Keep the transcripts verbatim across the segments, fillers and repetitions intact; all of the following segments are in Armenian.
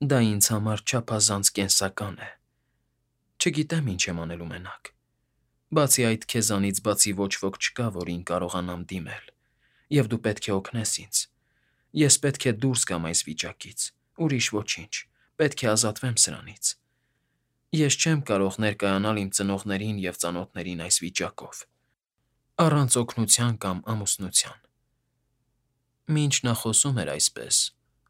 Դա ինձ համար չափազանց կենսական է։ Չգիտեմ ինչ եմ անելու մենակ։ Բացի այդ, քեզանից բացի ոչ ոք չկա, որին կարողանամ դիմել, և դու պետք է օգնես ինձ։ Ես պետք է դուրս գամ այս վիճակից, ուրիշ ոչինչ, պետք է ազատվեմ սրանից։ Ես չեմ կարող ներկայանալ իմ ծնողներին և ծանոթներին այս վիճակով, առանց օգնության կամ ամուսնության։ Մինչ նա խոսում էր այսպես,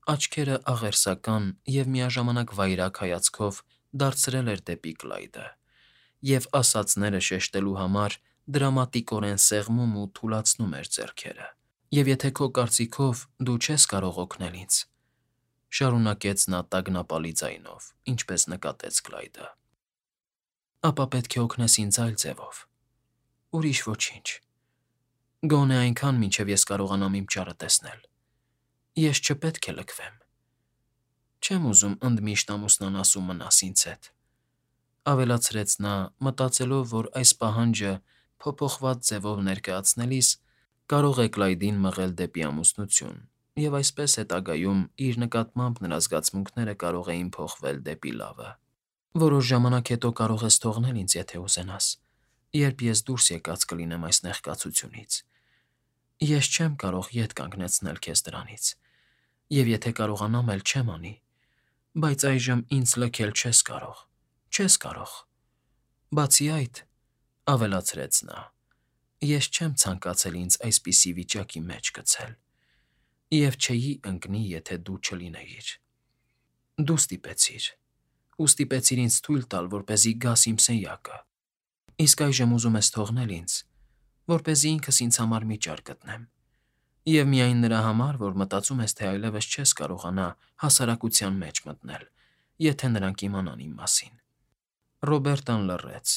աչքերը աղերսական և միաժամանակ վայրագ հայացքով դարձրել էր դեպի Կլայդը, և ասածները շեշտելու համար դրամատիկորեն սեղմում ու թուլացնում էր ձեռքերը։ «Եվ եթե քո կարծիքով դու չես կարող օգնել ինձ,֊ շարունակեց նա տագնապալի ձայնով, ինչպես նկատեց Կլայդը,֊ ապա պետք է օգնես ինձ այլ ձևով, ուրիշ ոչինչ, գոնե այնքան, մինչև ես կարողանամ իմ ճարը տեսնել։ Ես չպետք է լքվեմ։ Չեմ ուզում ընդմիշտ ամուսնանաս ու մնաս ինձ հետ,֊ ավելացրեց նա, մտածելով, որ այս պահանջը փոփոխված ձևով ներկայացնելիս կարող է Կլայդին մղել դեպի ամուսնություն, և այսպես հետագայում իր նկատմամբ նրա զգացմունքները կարող էին փոխվել դեպի լավը։ «Որոշ ժամանակ հետո կարող ես թողնել ինձ, եթե ուզենաս, երբ ես դուրս եկած կլինեմ այս նեղկացությունից։ Ես չեմ կարող ետ կանգնեցնել քեզ դրանից, և եթե կարողանամ էլ չեմ անի, բայց այժմ ինձ լքել չես կարող, չես կարող։ Բացի այդ,֊ ավելացրեց նա,֊ ես չեմ ցանկացել ինձ այսպիսի վիճակի մեջ գցել, և չէի ընկնի, եթե դու չլինեիր։ Դու ստիպեցիր, ու ստիպեցիր ինձ թույլ տալ, որպեսզի գաս իմ սենյակը, իսկ այժմ ուզում ես թողնել ինձ, որպեսզի ինքս ինձ համար մի ճար գտնեմ, և միայն նրա համար, որ մտածում ես, թե այլևս չես կարողանա հասարակության մեջ մտնել, եթե նրանք իմանան իմ մասին»։ Ռոբերտան լռեց։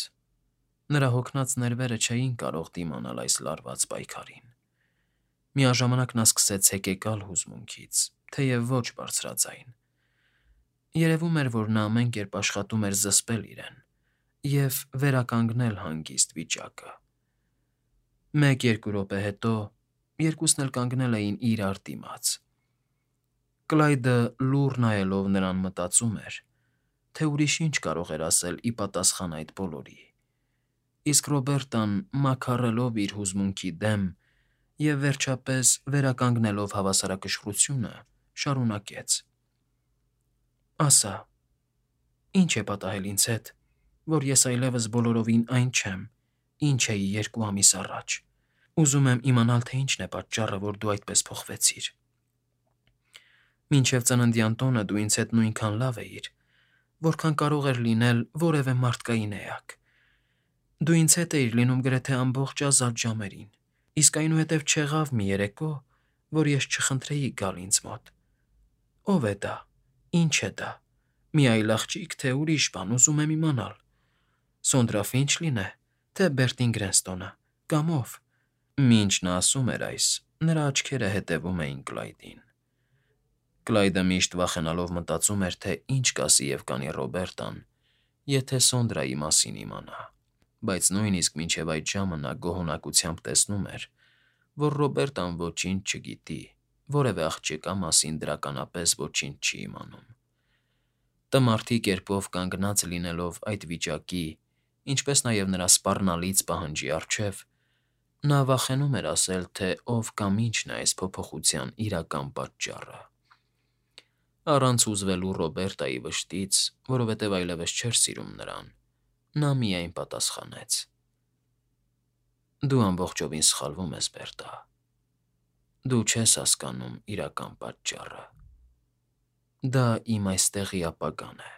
Նրա հոգնած ներվերը չէին կարող դիմանալ այս լարված պայքարին։ Միաժամանակ նա սկսեց հեկեկալ հուզմունքից, թեև ոչ բարձրաձայն։ Երևում էր, որ նա ամեն կերպ աշխատում էր զսպել իրեն և վերականգնել հանգիստ վիճակը։ Մեկ֊երկու րոպե հետո երկուսն էլ կանգնել էին իրար դիմաց։ Կլայդը լուռ նայելով նրան մտածում էր, թե ուրիշ ինչ կարող էր ասել ի պատասխան այդ բոլորի, իսկ Ռոբերտան, մաքարելով իր հուզմունքի դեմ և, վերջապես, վերականգնելով հավասարակշռությունը, շարունակեց. «Ասա, ի՞նչ է պատահել ինձ հետ, որ ես այլևս բոլորովին այն չեմ, ինչ էի երկու ամիս առաջ։ Ուզում եմ իմանալ, թե ինչն է պատճառը, որ դու այդպես փոխվեցիր։ Մինչև ծննդյան տոնը դու ինձ հետ նույնքան լավ էիր, որքան կարող էր լինել որևէ մարդկային էակ։ Դու ինձ հետ էիր լինում գրեթե ամբողջ ազատ ժամերին, իսկ այնուհետև չեղավ մի երեկո, որ ես չխնդրեի գալ ինձ մոտ։ Ո՞վ է դա, ի՞նչ է դա, մի այլ աղջի՞կ, թե ուրիշ բան, ուզում եմ իմանալ։ Սոնդրա Ֆինչլի՞ն է, թե Բերտին Գրենստոնը, կամ ո՞վ»։ Մինչ նա ասում էր այս, նրա աչքերը հետևում էին Կլայդին։ Կլայդը միշտ վախենալով մտածում էր, թե ինչ կասի և կանի Ռոբերտան, եթե Սոնդրայի մասին իմանա, բայց նույնիսկ մինչև այդ ժամը նա գոհունակությամբ տեսնում էր, որ Ռոբերտան ոչինչ չգիտի, որևէ աղջկա մասին դրականապես ոչինչ չի իմանում։ Տմարդի կերպով կանգնած լինելով այդ վիճակի, ինչպես նաև նրա սպառնալից պահանջի առջև, նա վախենում էր ասել, թե ով կամ ինչն է այս փոփոխության իրական պատճառը։ Առանց հուզվելու Ռոբերտայի վշտից, որովհետև այլևս չէր սիրում նրան, նա միայն պատասխանեց. «Դու ամբողջովին սխալվում ես, Բերտա։ Դու չես հասկանում իրական պատճառը։ Դա իմ այստեղի ապագան է։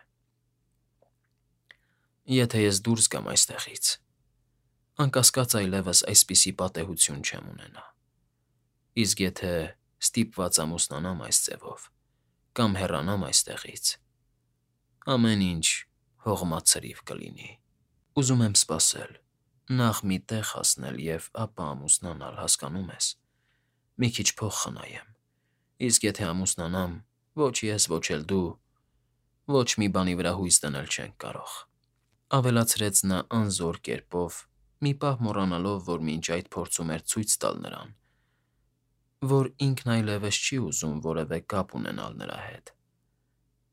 Եթե ես դուրս գամ այստեղից, անկասկած այլևս այսպիսի պատեհություն չեմ ունենա, իսկ եթե ստիպված ամուսնանամ այս ձևով կամ հեռանամ այստեղից, ամեն ինչ հողմած սրիվ կլինի։ Ուզում եմ սպասել, նախ մի տեղ հասնել և ապա ամուսնանալ, հասկանո՞ւմ ես, մի քիչ փող խնայեմ, իսկ եթե ամուսնանամ, ոչ ես, ոչ էլ դու ոչ մի բանի վրա հույս դնել չենք կարող», ավելացրեց նա անզոր կերպով, մի պահ մոռանալով, որ մինչ այդ փորձում էր ցույց տալ նրան, որ ինքն այլևս չի ուզում որևէ կապ ունենալ նրա հետ,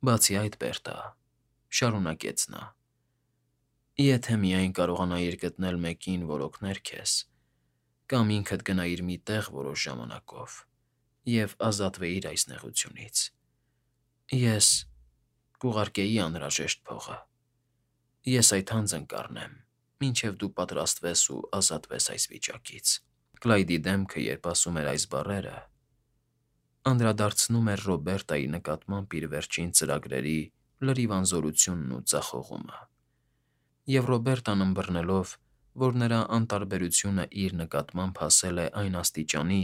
Բացի այդ, Բերտա, շարունակեց նա, եթե միայն կարողանայիր գտնել մեկին, որ օգներ քեզ, կամ ինքդ գնայիր մի տեղ որոշ ժամանակով և ազատվեիր այս նեղությունից, ես կուղարկեի անհրաժեշտ փողը, ես այդ հանձն կառնեմ, մինչև դու պատրաստվես ու ազատվես այս վիճակից։ Կլայդի դեմքը, երբ ասում էր այս բառերը, անդրադարձնում էր Ռոբերտայի նկատմամբ իր վերջին ծրագրերի լրիվ անզորությունն ու ձախողումը, և Ռոբերտան ըմբռնելով, որ նրա անտարբերությունը իր նկատմամբ հասել է այն աստիճանի,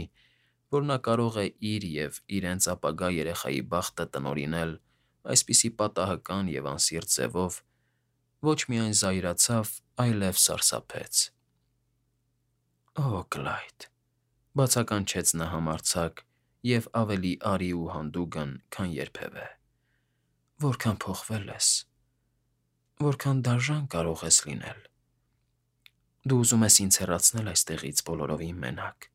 որ նա կարող է իր և իրենց ապագա երեխայի բախտը տնօրինել այսպիսի պատահական և անսիրտ ձևով, ոչ միայն զայրացավ, այլև սարսափեց։ «Օ, Կլայդ,֊ բացականչեց նա համարձակ և ավելի արի ու հանդուգն, քան երբևէ,֊ որքան փոխվել ես, որքան դաժան կարող ես լինել… Դու ուզում ես ինձ հեռացնել այստեղից բոլորովին մենակ,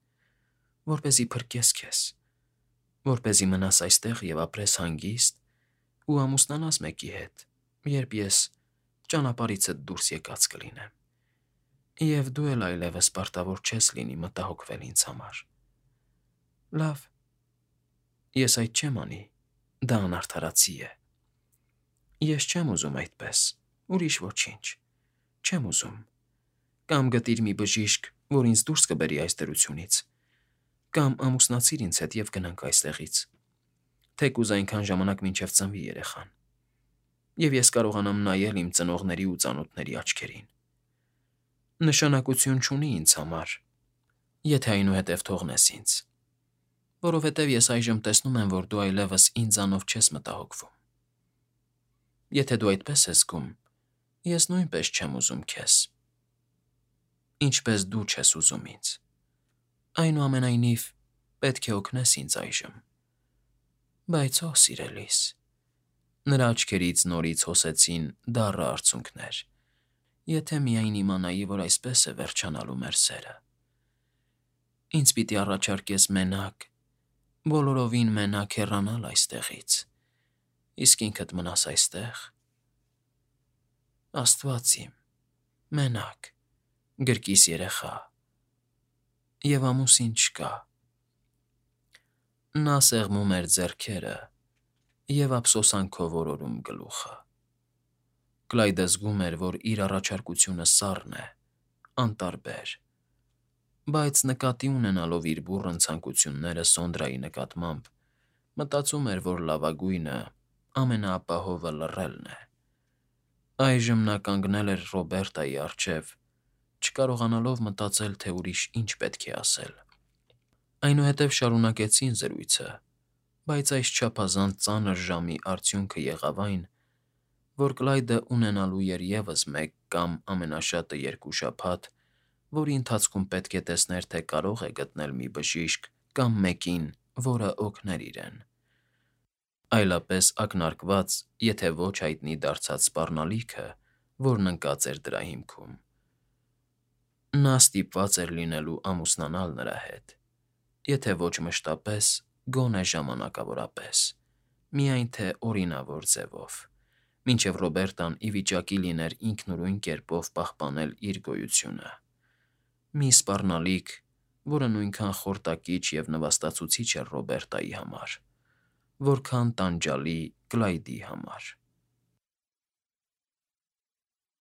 որպեսզի փրկես քեզ, որպեսզի մնաս այստեղ և ապրես հանգիստ ու ամուսնանաս մեկի հետ, երբ ես ճանապարհիցդ դուրս եկած կլինեմ, և դու էլ այլևս պարտավոր չես լինի մտահոգվել ինձ համար… Լավ, ես այդ չեմ անի, դա անարդարացի է… Ես չեմ ուզում այդպես, ուրիշ ոչինչ, չեմ ուզում… Կամ գտիր մի բժիշկ, որ ինձ դուրս կբերի այս դրությունից, կամ ամուսնացիր ինձ հետ և գնանք այստեղից, թեկուզ այնքան ժամանակ, մինչև ծնվի երեխան, և ես կարողանամ նայել իմ ծնողների ու ծանոթների աչքերին… Նշանակություն չունի ինձ համար, եթե այնուհետև թողնես ինձ, որովհետև ես այժմ տեսնում եմ, որ դու այլևս ինձանով չես մտահոգվում… Եթե դու այդպես ես զգում, ես նույնպես չեմ ուզում քեզ, ինչպես դու չես ուզում ինձ… Այնուամենայնիվ, պետք է օգնես ինձ այժմ… Բայց, օ՜, սիրելիս…֊ նրա աչքերից նորից հոսեցին դառը արցունքներ…֊ Եթե միայն իմանայի, որ այսպես է վերջանալու մեր սերը… Ինձ պիտի առաջարկես մենակ, բոլորովին մենակ հեռանալ այստեղից, իսկ ինքդ մնաս այստեղ… Աստված իմ, մենակ, գրկիս երեխա… և ամուսին չկա… Նա սեղմում էր ձեռքերը և ափսոսանքով օրորում գլուխը… Կլայդը զգում էր, որ իր առաջարկությունը սառն է, անտարբեր, բայց նկատի ունենալով իր բուռն ցանկությունները Սոնդրայի նկատմամբ, մտածում էր, որ լավագույնը, ամենաապահովը լռելն է… Այժմ նա կանգնել էր Ռոբերտայի առջև, չկարողանալով մտածել, թե ուրիշ ինչ պետք է ասել… Այնուհետև շարունակեցին զրույցը, բայց այս չափազանց ծանր ժամի արդյունքը եղավ այն, որ Կլայդը ունենալու էր ևս մեկ կամ ամենաշատը երկու շաբաթ, որի ընթացքում պետք է տեսներ, թե կարող է գտնել մի բժիշկ կամ մեկին, որը օգներ իրեն… Այլապես ակնարկված, եթե ոչ հայտնի դարձած սպառնալիքը, որն ընկած էր դրա հիմքում… Նա ստիպված էր լինելու ամուսնանալ նրա հետ, եթե ոչ մշտապես, գոնե ժամանակավորապես, միայն թե օրինավոր ձևով, մինչև Ռոբերտան ի վիճակի լիներ ինքնուրույն կերպով պահպանել իր գոյությունը… Մի սպառնալիք, որը նույնքան խորտակիչ և նվաստացուցիչ էր Ռոբերտայի համար, որքան տանջալի Կլայդի համար…